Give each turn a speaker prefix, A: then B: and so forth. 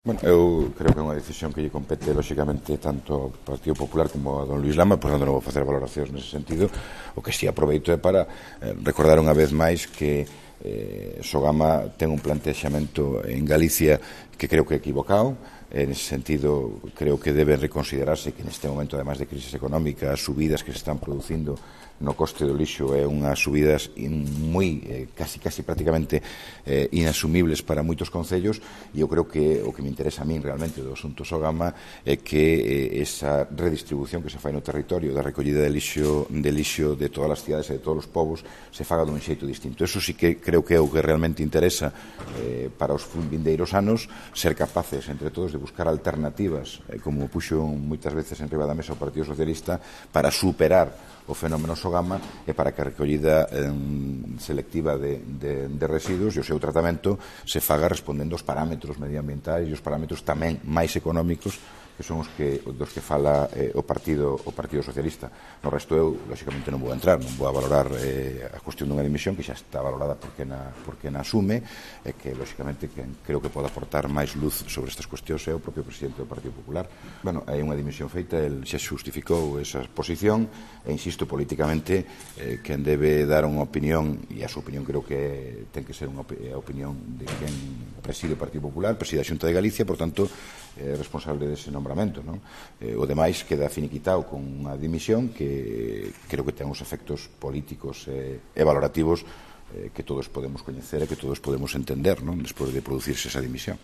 A: Bueno, eu creo que é unha decisión que lle compete lóxicamente tanto ao Partido Popular como a don Luís Lama, por tanto non vou facer valoracións nese sentido. O que si aproveito é para recordar unha vez máis que Sogama ten un plantexamento en Galicia que creo que é equivocado. En ese sentido, creo que debe reconsiderarse que neste momento, además de crisis económica, as subidas que se están producindo no coste do lixo é unhas subidas moi, casi prácticamente inasumibles para moitos concellos, e eu creo que o que me interesa a min realmente do asunto Sogama é que esa redistribución que se fai no territorio da recollida de lixo de todas as cidades e de todos os povos se faga dun xeito distinto. Eso sí que creo que é o que realmente interesa para os vindeiros anos, ser capaces entre todos de buscar alternativas, como puxo moitas veces en riba da mesa o Partido Socialista, para superar o fenómeno Sogama e para que a recollida selectiva de residuos e o seu tratamento se faga respondendo aos parámetros medioambientais e os parámetros tamén máis económicos que son os dos que fala o Partido Socialista. No resto eu, lóxicamente, non vou entrar, non vou a valorar a cuestión dunha dimisión que xa está valorada por quen a asume e que, lóxicamente, quen creo que pode aportar máis luz sobre estas cuestións é o propio presidente do Partido Popular. Bueno, hai unha dimisión feita, el xa xustificou esa posición e, insisto, políticamente, quen debe dar unha opinión, e a súa opinión creo que ten que ser a opinión de quen preside o Partido Popular, preside a Xunta de Galicia, por tanto, é responsable dese nombramento, non? O demais queda finiquitado con unha dimisión que creo que ten uns efectos políticos e valorativos que todos podemos coñecer e que todos podemos entender, non? Despois de producirse esa dimisión.